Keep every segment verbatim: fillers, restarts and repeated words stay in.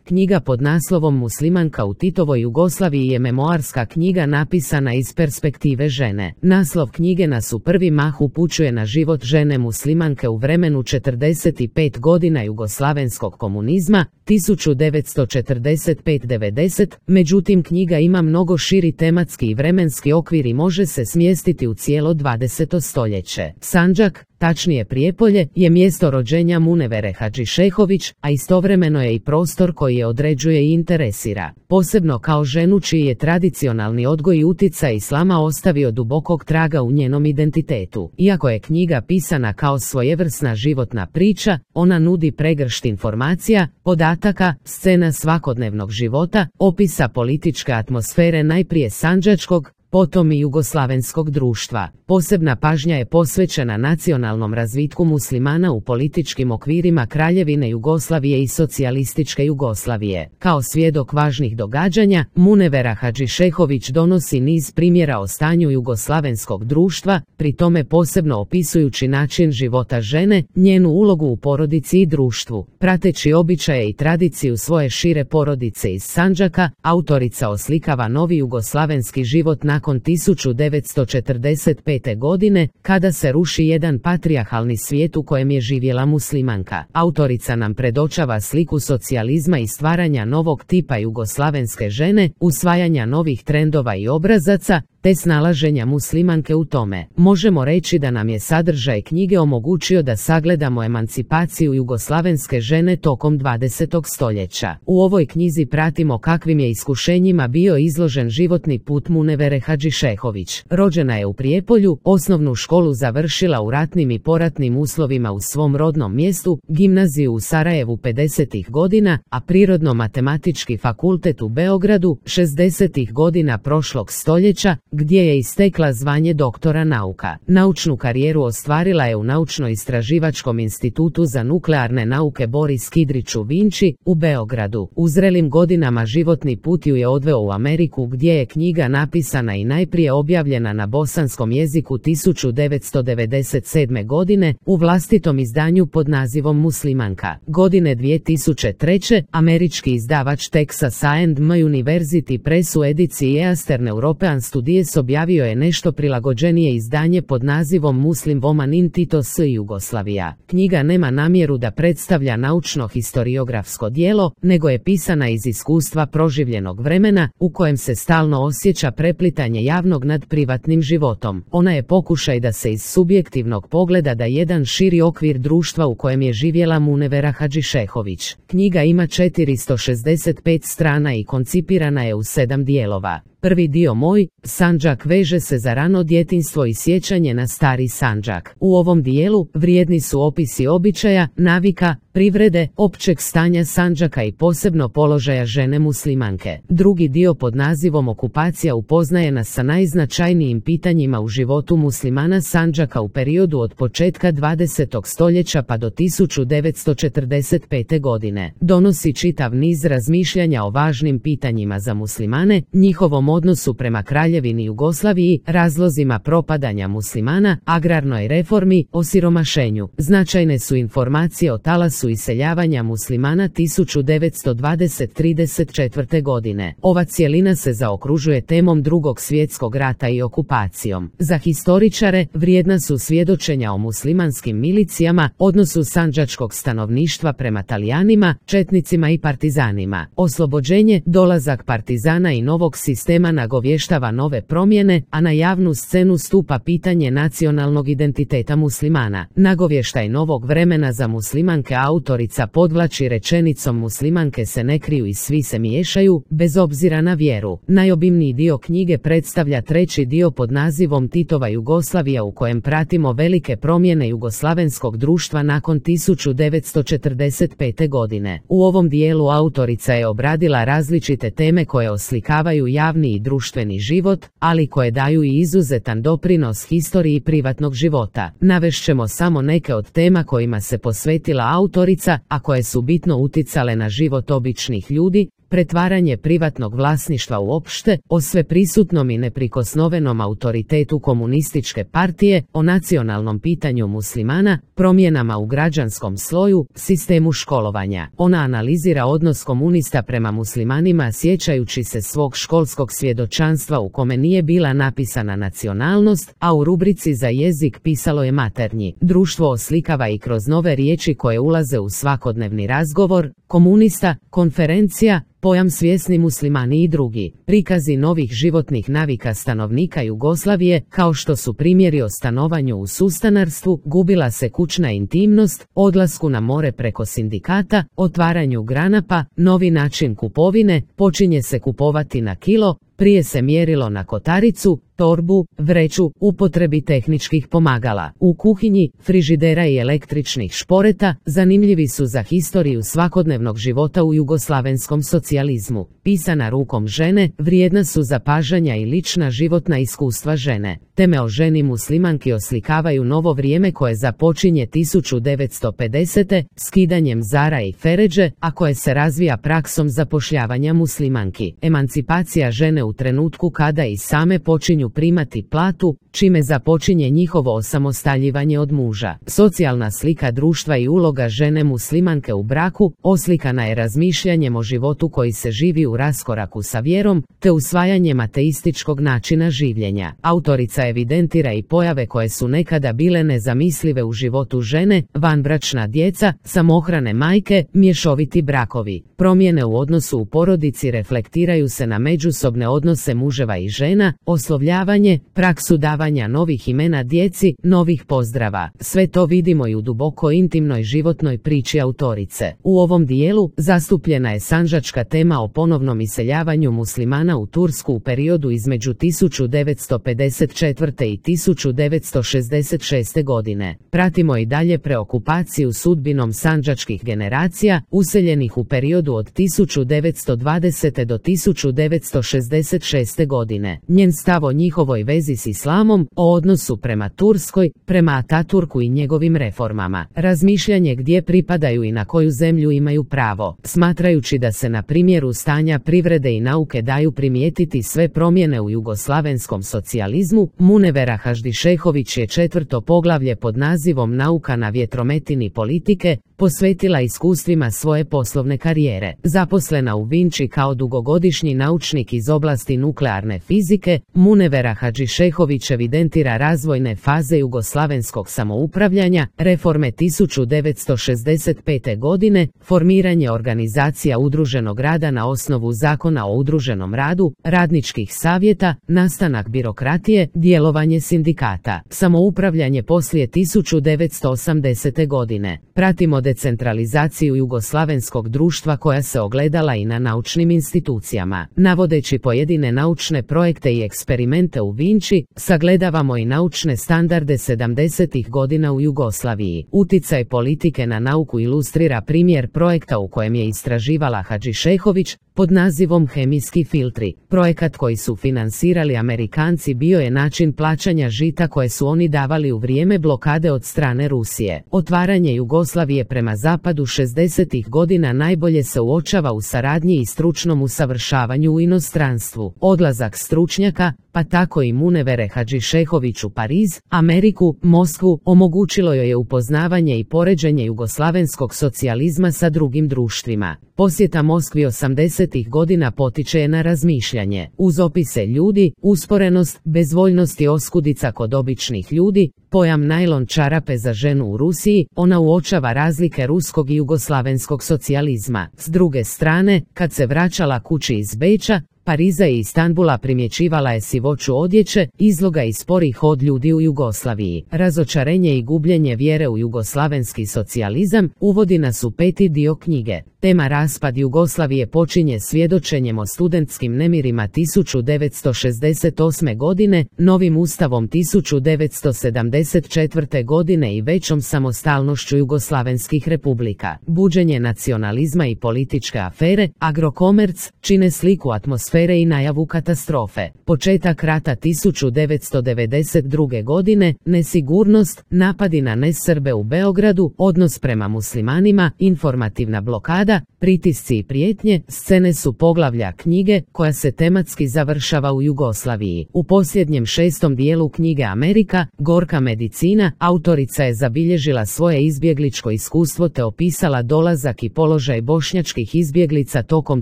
Knjiga pod naslovom Muslimanka u Titovoj Jugoslaviji je memoarska knjiga napisana iz perspektive žene. Naslov knjige nas u prvi mah upućuje na život žene muslimanke u vremenu četrdeset pet godina jugoslavenskog komunizma, tisuću devetsto četrdeset pet do devedeset, međutim knjiga ima mnogo širi tematski i vremenski okvir i može se smjestiti u cijelo dvadeseto stoljeće. Sandžak, tačnije Prijepolje, je mjesto rođenja Munevere Hadžišehović, a istovremeno je i prostor koji je određuje i interesira. Posebno kao ženu čiji je tradicionalni odgoj i uticaj islama ostavio dubokog traga u njenom identitetu. Iako je knjiga pisana kao svojevrsna životna priča, ona nudi pregršt informacija, podataka, scena svakodnevnog života, opisa političke atmosfere najprije sandžačkog, potom i jugoslavenskog društva. Posebna pažnja je posvećena nacionalnom razvitku muslimana u političkim okvirima Kraljevine Jugoslavije i socijalističke Jugoslavije. Kao svjedok važnih događanja, Munevera Hadžišehović donosi niz primjera o stanju jugoslavenskog društva, pri tome posebno opisujući način života žene, njenu ulogu u porodici i društvu. Prateći običaje i tradiciju svoje šire porodice iz Sandžaka, autorica oslikava novi jugoslavenski život nakon tisuću devetsto četrdeset pete. godine, kada se ruši jedan patrijarhalni svijet u kojem je živjela muslimanka. Autorica nam predočava sliku socijalizma i stvaranja novog tipa jugoslavenske žene, usvajanja novih trendova i obrazaca, te snalaženja muslimanke u tome. Možemo reći da nam je sadržaj knjige omogućio da sagledamo emancipaciju jugoslavenske žene tokom dvadesetog stoljeća. U ovoj knjizi pratimo kakvim je iskušenjima bio izložen životni put Munevere Hadžišehović. Rođena je u Prijepolju, osnovnu školu završila u ratnim i poratnim uslovima u svom rodnom mjestu, gimnaziju u Sarajevu pedesetih godina, a Prirodno-matematički fakultet u Beogradu šezdesetih godina prošlog stoljeća, gdje je istekla zvanje doktora nauka. Naučnu karijeru ostvarila je u Naučno-istraživačkom institutu za nuklearne nauke Boris Kidrić u Vinči, u Beogradu. U zrelim godinama životni put ju je odveo u Ameriku, gdje je knjiga napisana i najprije objavljena na bosanskom jeziku tisuću devetsto devedeset sedme. godine u vlastitom izdanju pod nazivom Muslimanka. Godine dvije tisuće treće. američki izdavač Texas A and M University Press u ediciji Eastern European Studies objavio je nešto prilagođenije izdanje pod nazivom Muslim Woman in Tito S. Jugoslavija. Knjiga nema namjeru da predstavlja naučno-historiografsko djelo, nego je pisana iz iskustva proživljenog vremena, u kojem se stalno osjeća preplitanje javnog nad privatnim životom. Ona je pokušaj da se iz subjektivnog pogleda da jedan širi okvir društva u kojem je živjela Munevera Hadžišehović. Knjiga ima četiristo šezdeset pet strana i koncipirana je u sedam dijelova. Prvi dio Moj Sandžak veže se za rano djetinjstvo i sjećanje na stari Sandžak. U ovom dijelu vrijedni su opisi običaja, navika, privrede, općeg stanja Sandžaka i posebno položaja žene muslimanke. Drugi dio pod nazivom Okupacija upoznaje nas sa najznačajnijim pitanjima u životu muslimana Sandžaka u periodu od početka dvadesetog stoljeća pa do tisuću devetsto četrdeset pete. godine. Donosi čitav niz razmišljanja o važnim pitanjima za muslimane, njihovom odnosu prema Kraljevini Jugoslaviji, razlozima propadanja muslimana, agrarnoj reformi, osiromašenju. Značajne su informacije o talasu iseljavanja muslimana tisuću devetsto dvadeset do trideset četvrte. godine. Ova cjelina se zaokružuje temom Drugog svjetskog rata i okupacijom. Za historičare vrijedna su svjedočenja o muslimanskim milicijama, odnosu sandžačkog stanovništva prema Talijanima, četnicima i partizanima. Oslobođenje, dolazak partizana i novog sistema nagovještava nove promjene, a na javnu scenu stupa pitanje nacionalnog identiteta muslimana. Nagovještaj novog vremena za muslimanke autorica podvlači rečenicom muslimanke se ne kriju i svi se miješaju, bez obzira na vjeru. Najobimniji dio knjige predstavlja treći dio pod nazivom Titova Jugoslavija u kojem pratimo velike promjene jugoslavenskog društva nakon tisuću devetsto četrdeset pete. godine. U ovom dijelu autorica je obradila različite teme koje oslikavaju javni i društveni život, ali koje daju i izuzetan doprinos historiji privatnog života. Navešćemo samo neke od tema kojima se posvetila autorica, a koje su bitno uticale na život običnih ljudi, pretvaranje privatnog vlasništva u opšte, o sveprisutnom i neprikosnovenom autoritetu komunističke partije, o nacionalnom pitanju muslimana, promjenama u građanskom sloju, sistemu školovanja. Ona analizira odnos komunista prema muslimanima sjećajući se svog školskog svjedočanstva u kome nije bila napisana nacionalnost, a u rubrici za jezik pisalo je maternji. Društvo oslikava i kroz nove riječi koje ulaze u svakodnevni razgovor, komunista, konferencija, pojam svjesni muslimani i drugi. Prikazi novih životnih navika stanovnika Jugoslavije, kao što su primjeri o stanovanju u sustanarstvu, gubila se kućna intimnost, odlasku na more preko sindikata, otvaranju granapa, novi način kupovine, počinje se kupovati na kilo, prije se mjerilo na kotaricu, torbu, vreću, upotrebi tehničkih pomagala. U kuhinji, frižidera i električnih šporeta, zanimljivi su za historiju svakodnevnog života u jugoslavenskom socijalizmu. Pisana rukom žene, vrijedna su zapažanja i lična životna iskustva žene. Teme o ženi muslimanki oslikavaju novo vrijeme koje započinje tisuću devetsto pedesete skidanjem zara i feređe, a koje se razvija praksom zapošljavanja muslimanki. Emancipacija žene u trenutku kada i same počinju primati platu, čime započinje njihovo osamostaljivanje od muža. Socijalna slika društva i uloga žene muslimanke u braku oslikana je razmišljanjem o životu koji se živi u raskoraku sa vjerom, te usvajanjem ateističkog načina življenja. Autorica evidentira i pojave koje su nekada bile nezamislive u životu žene, vanbračna djeca, samohrane majke, mješoviti brakovi. Promjene u odnosu u porodici reflektiraju se na međusobne odnose muževa i žena, oslovljavanje, praksu davanja novih imena djeci, novih pozdrava. Sve to vidimo i u duboko intimnoj životnoj priči autorice. U ovom dijelu zastupljena je sandžačka tema o ponovnom iseljavanju muslimana u Tursku u periodu između tisuću devetsto pedeset četvrte i tisuću devetsto šezdeset šeste. godine. Pratimo i dalje preokupaciju sudbinom sandžačkih generacija, useljenih u periodu od tisuću devetsto dvadesete do tisuću devetsto šezdeset šeste. godine. Njen stav o njihovoj vezi s islamom, o odnosu prema Turskoj, prema Ataturku i njegovim reformama. Razmišljanje gdje pripadaju i na koju zemlju imaju pravo. Smatrajući da se na primjeru stanja privrede i nauke daju primijetiti sve promjene u jugoslavenskom socijalizmu, Munevera Haždišehović je četvrto poglavlje pod nazivom Nauka na vjetrometini politike posvetila iskustvima svoje poslovne karijere. Zaposlena u Vinči kao dugogodišnji naučnik iz oblasti nuklearne fizike, Munevera Hadžišehović evidentira razvojne faze jugoslavenskog samoupravljanja, reforme tisuću devetsto šezdeset pete. godine, formiranje organizacija udruženog rada na osnovu Zakona o udruženom radu, radničkih savjeta, nastanak birokratije, djelovanje sindikata, samoupravljanje poslije tisuću devetsto osamdesete. godine. Pratimo decentralizaciju jugoslavenskog društva koja se ogledala i na naučnim institucijama. Navodeći pojedine naučne projekte i eksperimente u Vinči, sagledavamo i naučne standarde sedamdesetih godina u Jugoslaviji. Uticaj politike na nauku ilustrira primjer projekta u kojem je istraživala Hadžišehović pod nazivom Hemijski filtri. Projekat koji su finansirali Amerikanci bio je način plaćanja žita koje su oni davali u vrijeme blokade od strane Rusije. Otvaranje Jugoslavije prema zapadu šezdesetih godina najbolje se uočava u saradnji i stručnom usavršavanju u inostranstvu. Odlazak stručnjaka, pa tako i Munevere Hadžišehović u Pariz, Ameriku, Moskvu, omogućilo joj je upoznavanje i poređenje jugoslavenskog socijalizma sa drugim društvima. Posjeta Moskvi osamdesetih godina potiče je na razmišljanje. Uz opise ljudi, usporenost, bezvoljnost i oskudica kod običnih ljudi, pojam najlon čarape za ženu u Rusiji, ona uočava razlike ruskog i jugoslavenskog socijalizma. S druge strane, kad se vraćala kući iz Beča, Pariza i Istanbula primjećivala je sivoću odjeće, izloga i spori hod ljudi u Jugoslaviji. Razočarenje i gubljenje vjere u jugoslavenski socijalizam uvodi nas u peti dio knjige. Tema raspad Jugoslavije počinje svjedočenjem o studentskim nemirima tisuću devetsto šezdeset osme. godine, novim ustavom tisuću devetsto sedamdeset četvrte. godine i većom samostalnošću jugoslavenskih republika. Buđenje nacionalizma i političke afere, agrokomerc, čine sliku atmosfere i najavu katastrofe. Početak rata tisuću devetsto devedeset druge. godine, nesigurnost, napadi na nesrbe u Beogradu, odnos prema muslimanima, informativna blokada, Amerika, pritisci i prijetnje, scene su poglavlja knjige koja se tematski završava u Jugoslaviji. U posljednjem šestom dijelu knjige Amerika, gorka medicina, autorica je zabilježila svoje izbjegličko iskustvo te opisala dolazak i položaj bošnjačkih izbjeglica tokom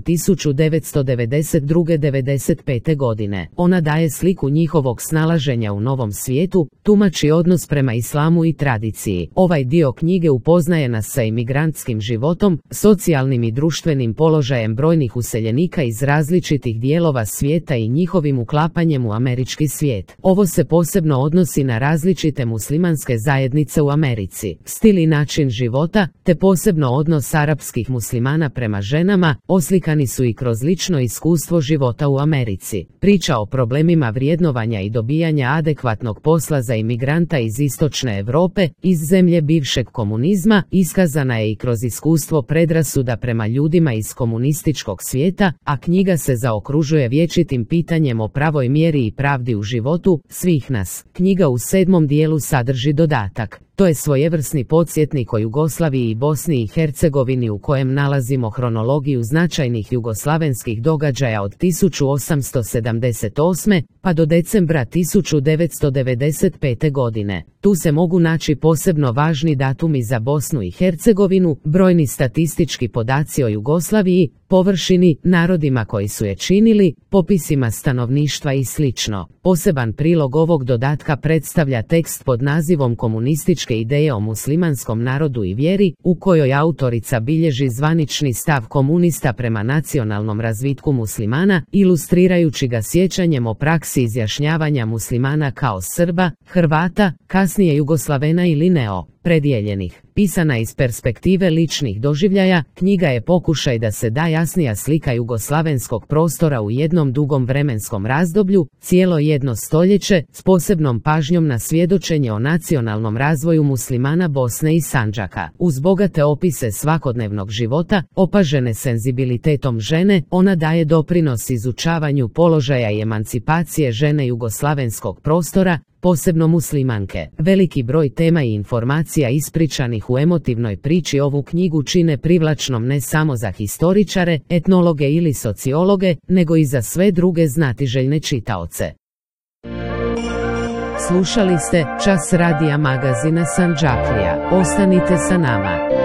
tisuću devetsto devedeset druge do devedeset pete. godine. Ona daje sliku njihovog snalaženja u novom svijetu, tumači odnos prema islamu i tradiciji. Ovaj dio knjige upoznaje nas sa imigrantskim životom, socijalnim i društvenim položajem brojnih useljenika iz različitih dijelova svijeta i njihovim uklapanjem u američki svijet. Ovo se posebno odnosi na različite muslimanske zajednice u Americi, stil i način života, te posebno odnos arapskih muslimana prema ženama, oslikani su i kroz lično iskustvo života u Americi. Priča o problemima vrijednovanja i dobijanja adekvatnog posla za imigranta iz istočne Europe, iz zemlje bivšeg komunizma, iskazana je i kroz iskustvo predrasuda prema ljudima iz komunističkog svijeta, a knjiga se zaokružuje vječitim pitanjem o pravoj mjeri i pravdi u životu svih nas. Knjiga u sedmom dijelu sadrži dodatak. To je svojevrsni podsjetnik o Jugoslaviji i Bosni i Hercegovini u kojem nalazimo hronologiju značajnih jugoslavenskih događaja od tisuću osamsto sedamdeset osme pa do decembra tisuću devetsto devedeset pete. godine. Tu se mogu naći posebno važni datumi za Bosnu i Hercegovinu, brojni statistički podaci o Jugoslaviji, površini, narodima koji su je činili, popisima stanovništva i slično. Poseban prilog ovog dodatka predstavlja tekst pod nazivom Komunističke ideje o muslimanskom narodu i vjeri, u kojoj autorica bilježi zvanični stav komunista prema nacionalnom razvitku muslimana, ilustrirajući ga sjećanjem o praksi izjašnjavanja muslimana kao Srba, Hrvata, kasnije Jugoslavena ili neo predijeljenih. Pisana iz perspektive ličnih doživljaja, knjiga je pokušaj da se da jasnija slika jugoslavenskog prostora u jednom dugom vremenskom razdoblju, cijelo jedno stoljeće, s posebnom pažnjom na svjedočenje o nacionalnom razvoju muslimana Bosne i Sandžaka. Uz bogate opise svakodnevnog života, opažene senzibilitetom žene, ona daje doprinos izučavanju položaja i emancipacije žene jugoslavenskog prostora, posebno muslimanke. Veliki broj tema i informacija ispričanih u emotivnoj priči ovu knjigu čine privlačnom ne samo za historičare, etnologe ili sociologe, nego i za sve druge znatiželjne čitaoce. Slušali ste Čas radija magazina Sandžaklija. Ostanite sa nama.